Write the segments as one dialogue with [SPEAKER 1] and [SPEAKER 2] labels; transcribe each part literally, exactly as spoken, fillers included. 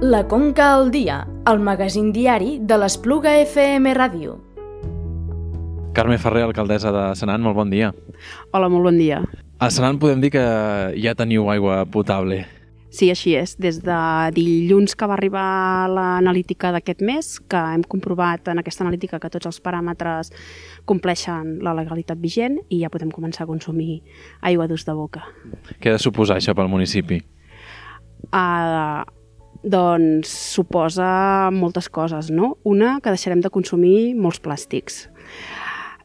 [SPEAKER 1] La Conca al dia, el magazín diari de l'Espluga F M Ràdio.
[SPEAKER 2] Carme Ferrer, alcaldessa de Senan, molt bon dia.
[SPEAKER 3] Hola, molt bon dia.
[SPEAKER 2] A Senan podem dir que ja teniu aigua potable.
[SPEAKER 3] Sí, així és. Des de dilluns que va arribar l'analítica d'aquest mes, que hem comprovat en aquesta analítica que tots els paràmetres compleixen la legalitat vigent i ja podem començar a consumir aigua d'ús de boca.
[SPEAKER 2] Què ha de suposar això pel municipi?
[SPEAKER 3] Uh, doncs suposa moltes coses, no? Una, que deixarem de consumir molts plàstics.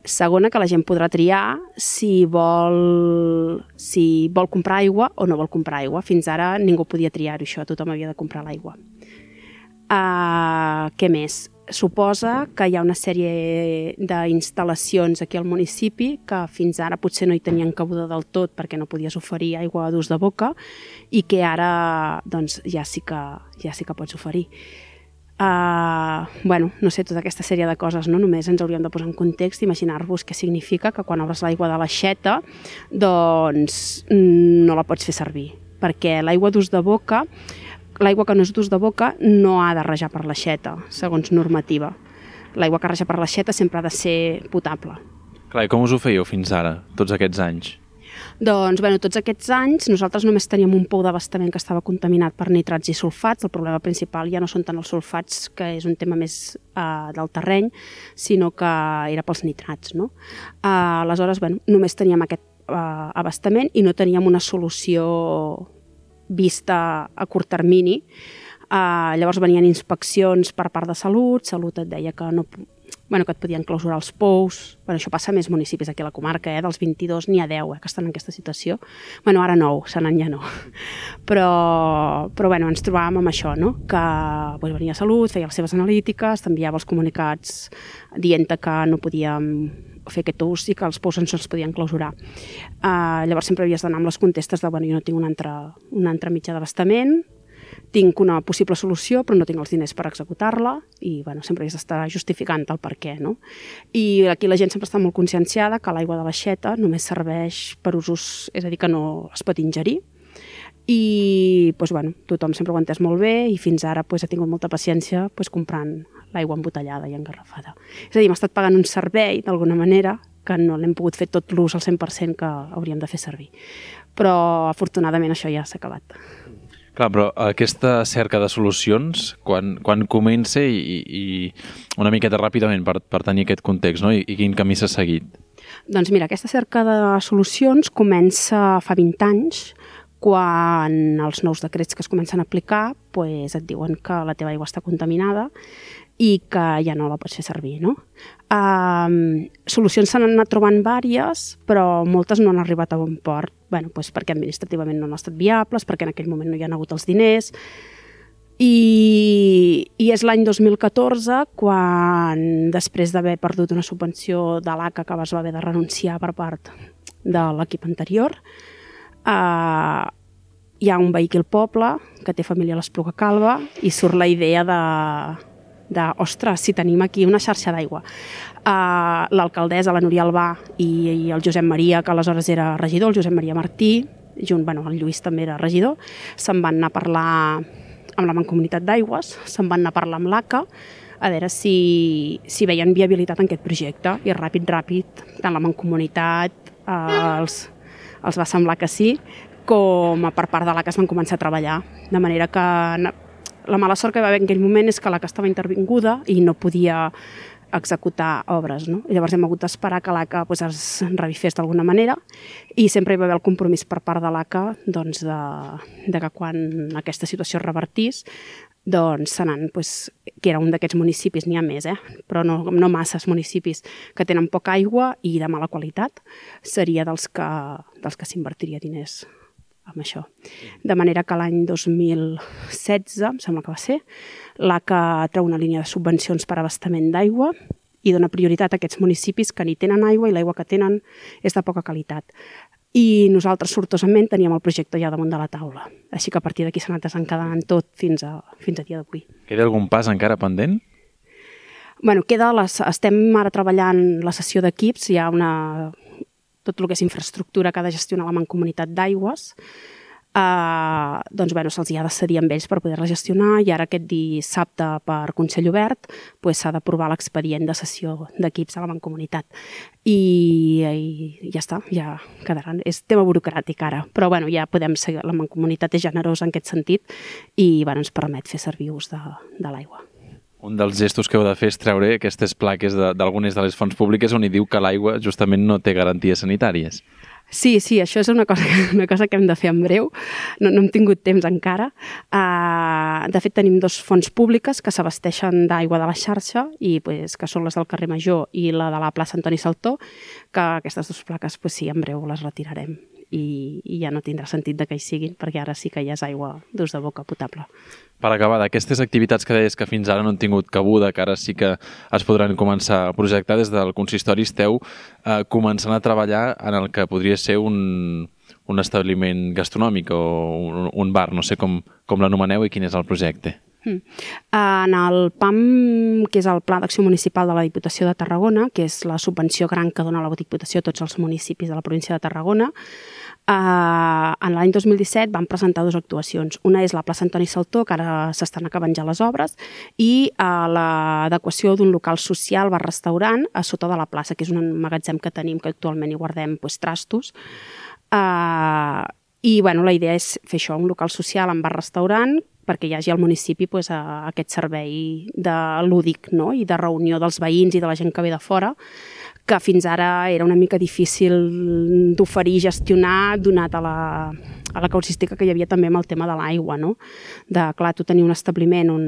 [SPEAKER 3] Segona, que la gent podrà triar si vol, si vol comprar aigua o no vol comprar aigua. Fins ara ningú podia triar-ho, això, tothom havia de comprar l'aigua. Uh, què més? Suposa que hi ha una sèrie d'instal·lacions aquí al municipi que fins ara potser no hi tenien cabuda del tot perquè no podies oferir aigua d'ús de boca i que ara doncs, ja, sí que, ja sí que pots oferir. Uh, bueno, no sé, tota aquesta sèrie de coses, no? Només ens hauríem de posar en context, imaginar-vos què significa que quan obres l'aigua de l'aixeta doncs no la pots fer servir, perquè l'aigua d'ús de boca, l'aigua que no és d'ús de boca no ha de rajar per l'aixeta, segons normativa. L'aigua que raja per l'aixeta sempre ha de ser potable.
[SPEAKER 2] Clar, i com us ho fèieu fins ara, tots aquests anys?
[SPEAKER 3] Doncs, bueno, tots aquests anys nosaltres només teníem un pou d'abastament que estava contaminat per nitrats i sulfats. El problema principal ja no són tant els sulfats, que és un tema més uh, del terreny, sinó que era pels nitrats, no? Uh, aleshores, bueno, només teníem aquest uh, abastament i no teníem una solució vista a curt termini. Uh, llavors venien inspeccions per part de Salut, Salut et deia que no... Bueno, que et podien clausurar els pous. Bueno, això passa a més municipis aquí a la comarca, eh? Dels vint-i-dos n'hi ha deu eh, que estan en aquesta situació. Bueno, ara nou, Senan ja no. Però, però bueno, ens trobàvem amb això, no? Que pues, venia a Salut, feia les seves analítiques, t'enviava els comunicats dient que no podíem fer aquest ús i que els pous ens els podien clausurar. Uh, llavors sempre havies d'anar amb les contestes de bueno, jo no tinc un altre, un altre mitjà d'abastament, tinc una possible solució però no tinc els diners per executar-la i bueno, sempre havies d'estar justificant el per què, no? I aquí la gent sempre està molt conscienciada que l'aigua de l'aixeta només serveix per usos, és a dir, que no es pot ingerir i doncs, bueno, tothom sempre ho ha entès molt bé i fins ara doncs, ha tingut molta paciència doncs, comprant l'aigua embotellada i engarrafada. És a dir, hem estat pagant un servei d'alguna manera que no l'hem pogut fer tot l'ús al cent per cent que hauríem de fer servir. Però afortunadament això ja s'ha acabat.
[SPEAKER 2] Clar, però aquesta cerca de solucions, quan, quan comença i, i una miqueta ràpidament per, per tenir aquest context, no? I, i quin camí s'ha seguit?
[SPEAKER 3] Doncs mira, aquesta cerca de solucions comença fa vint anys, quan els nous decrets que es comencen a aplicar pues, et diuen que la teva aigua està contaminada i que ja no la pots fer servir, no? Um, solucions s'han anat trobant vàries, però moltes no han arribat a bon port. Bueno, doncs perquè administrativament no han estat viables, perquè en aquell moment no hi ha hagut els diners. I, i és l'any dos mil catorze quan, després d'haver perdut una subvenció de l'A C A que es va haver de renunciar per part de l'equip anterior, uh, hi ha un veí al poble que té família a l'Espluga Calba i surt la idea de... de, ostres, si tenim aquí una xarxa d'aigua. Uh, l'alcaldessa, la Núria Albà i, i el Josep Maria, que aleshores era regidor, el Josep Maria Martí, junt, bueno, el Lluís també era regidor, se'n van anar a parlar amb la Mancomunitat d'Aigües, se'n van anar a parlar amb l'A C A, a veure si, si veien viabilitat en aquest projecte. I ràpid, ràpid, tant la Mancomunitat uh, els, els va semblar que sí, com per part de l'A C A es van començar a treballar. De manera que la mala sort que va haver en aquell moment és que l'A C A estava intervinguda i no podia executar obres, no? I llavors hem hagut d'esperar que l'A C A pues, es revifés d'alguna manera i sempre hi va haver el compromís per part de l'A C A doncs, de, de que quan aquesta situació es revertís doncs Senan, pues, que era un d'aquests municipis, n'hi ha més, eh? Però no, no masses municipis que tenen poca aigua i de mala qualitat, seria dels que, dels que s'invertiria diners amb això. De manera que l'any dos mil setze, em sembla que va ser, l'A C A treu una línia de subvencions per abastament d'aigua i dona prioritat a aquests municipis que ni tenen aigua i l'aigua que tenen és de poca qualitat. I nosaltres, sortosament, teníem el projecte ja damunt de la taula. Així que a partir d'aquí s'ha anat desencadant tot fins a, fins a dia d'avui.
[SPEAKER 2] Queda algun pas encara pendent?
[SPEAKER 3] Bueno, queda les, estem ara treballant la sessió d'equips, hi ha una... tot el que és infraestructura que ha de gestionar la Mancomunitat d'Aigües, Uh, doncs, bueno, se'ls ha de cedir amb ells per poder-la gestionar i ara aquest dissabte per Consell Obert pues, s'ha d'aprovar l'expedient de cessió d'equips a la Mancomunitat. I, i ja està, ja quedaran. És tema burocràtic ara, però bueno, ja podem seguir. La Mancomunitat és generosa en aquest sentit i bueno, ens permet fer servir ús de, de l'aigua.
[SPEAKER 2] Un dels gestos que heu de fer és treure aquestes plaques d'algunes de, de les fonts públiques on hi diu que l'aigua justament no té garanties sanitàries.
[SPEAKER 3] Sí, sí, això és una cosa, una cosa que hem de fer en breu. No, no hem tingut temps encara. Uh, de fet, tenim dos fonts públiques que s'abasteixen d'aigua de la xarxa i pues, que són les del carrer Major i la de la plaça Antoni Saltó, que aquestes dues plaques, pues, sí, en breu les retirarem i, i ja no tindrà sentit de que hi siguin, perquè ara sí que ja és aigua d'ús de boca potable.
[SPEAKER 2] Per acabar, d'aquestes activitats que deies que fins ara no han tingut cabuda, que ara sí que es podran començar a projectar, des del consistori esteu eh, començant a treballar en el que podria ser un, un establiment gastronòmic o un, un bar, no sé com, com l'anomeneu i quin és el projecte.
[SPEAKER 3] Mm. En el P A M, que és el Pla d'Acció Municipal de la Diputació de Tarragona, que és la subvenció gran que dona la Diputació a tots els municipis de la província de Tarragona, eh, en l'any dos mil disset van presentar dues actuacions. Una és la plaça Antoni Saltó, que ara s'estan acabant ja les obres, i eh, l'adequació d'un local social, bar-restaurant, a sota de la plaça, que és un magatzem que tenim, que actualment hi guardem pues, trastos. Eh, I bueno, la idea és fer això, un local social amb bar-restaurant, perquè hi hagi al municipi pues, aquest servei de lúdic, no? I de reunió dels veïns i de la gent que ve de fora, que fins ara era una mica difícil d'oferir, gestionar, donat a la, a la causística que hi havia també amb el tema de l'aigua, no? De, clar, tu tenir un establiment on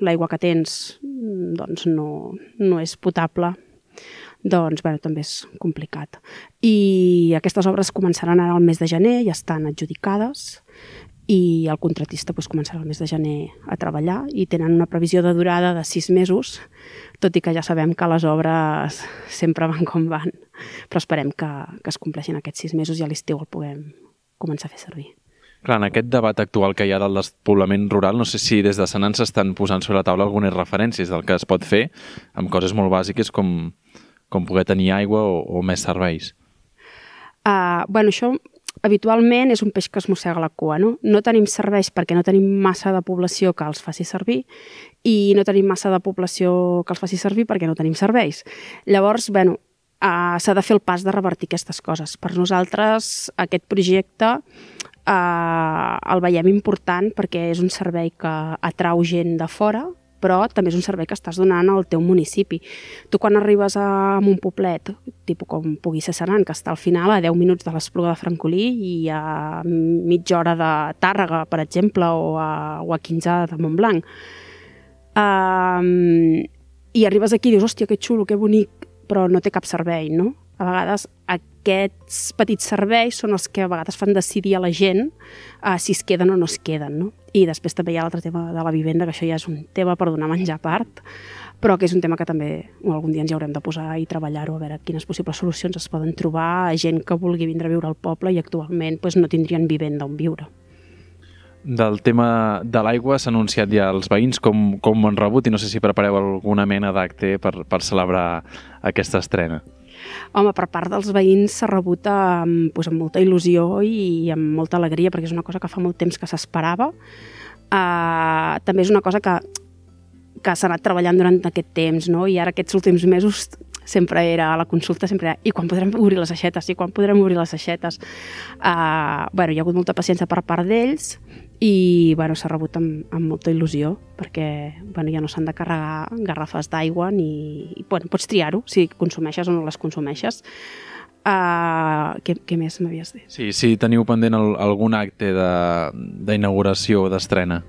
[SPEAKER 3] l'aigua que tens doncs no, no és potable, doncs bueno, també és complicat. I aquestes obres començaran ara al mes de gener, ja estan adjudicades, i el contratista pues, començarà el mes de gener a treballar i tenen una previsió de durada de sis mesos, tot i que ja sabem que les obres sempre van com van, però esperem que, que es compleixin aquests sis mesos i a l'estiu el puguem començar a fer servir.
[SPEAKER 2] Clar, en aquest debat actual que hi ha del despoblament rural, no sé si des de Senan s'estan posant sobre la taula algunes referències del que es pot fer amb coses molt bàsiques com, com poder tenir aigua o, o més serveis.
[SPEAKER 3] Uh, bueno, això habitualment és un peix que es mossega la cua, no? No tenim serveis perquè no tenim massa de població que els faci servir i no tenim massa de població que els faci servir perquè no tenim serveis. Llavors, bueno, uh, s'ha de fer el pas de revertir aquestes coses. Per nosaltres, aquest projecte uh, el veiem important perquè és un servei que atrau gent de fora, però també és un servei que estàs donant al teu municipi. Tu quan arribes a un poblet, tipus com pugui ser Senan, que està al final a deu minuts de l'Espluga de Francolí i a mitja hora de Tàrrega, per exemple, o a, o a quinze de Montblanc, um, i arribes aquí i dius, hòstia, que xulo, que bonic, però no té cap servei, no? A vegades aquests petits serveis són els que a vegades fan decidir a la gent uh, si es queden o no es queden, no? I després també hi ha l'altre tema de la vivenda, que això ja és un tema per donar menjar a part, però que és un tema que també algun dia ens hi haurem de posar i treballar-ho, a veure quines possibles solucions es poden trobar a gent que vulgui vindre a viure al poble i actualment pues, no tindrien vivenda on viure.
[SPEAKER 2] Del tema de l'aigua s'ha anunciat ja als veïns com, com ho han rebut i no sé si prepareu alguna mena d'acte per, per celebrar aquesta estrena.
[SPEAKER 3] Home, per part dels veïns s'ha rebut amb, doncs, amb molta il·lusió i amb molta alegria, perquè és una cosa que fa molt temps que s'esperava. Uh, també és una cosa que, que s'ha anat treballant durant aquest temps, no? I ara aquests últims mesos sempre era a la consulta, sempre era i quan podrem obrir les aixetes, i quan podrem obrir les aixetes. Uh, bueno, hi ha hagut molta paciència per part d'ells i bueno, s'ha rebut amb, amb molta il·lusió perquè bueno, ja no s'han de carregar garrafes d'aigua ni... Bueno, pots triar-ho si consumeixes o no les consumeixes. Uh, què, què més m'havies dit?
[SPEAKER 2] Sí, sí, teniu pendent el, algun acte d'inauguració o d'estrena?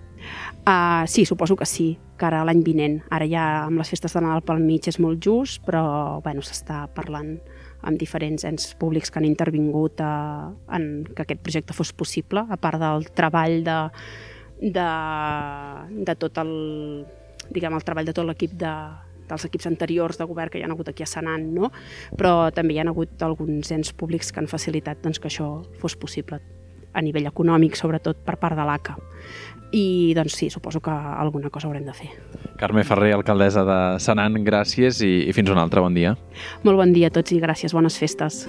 [SPEAKER 3] Uh, sí, suposo que sí, que ara l'any vinent. Ara ja amb les festes de Nadal pel mig és molt just, però bueno, s'està parlant amb diferents ens públics que han intervingut a, en que aquest projecte fos possible, a part del treball de, de, de tot el, diguem, el treball de tot l'equip de, dels equips anteriors de govern que hi ha hagut aquí a Senan, no? Però també hi ha hagut alguns ens públics que han facilitat doncs, que això fos possible a nivell econòmic, sobretot per part de l'A C A. I doncs sí, suposo que alguna cosa haurem de fer.
[SPEAKER 2] Carme Ferrer, alcaldessa de Senan, gràcies i, i fins un altre bon dia.
[SPEAKER 3] Molt bon dia a tots i gràcies, bones festes.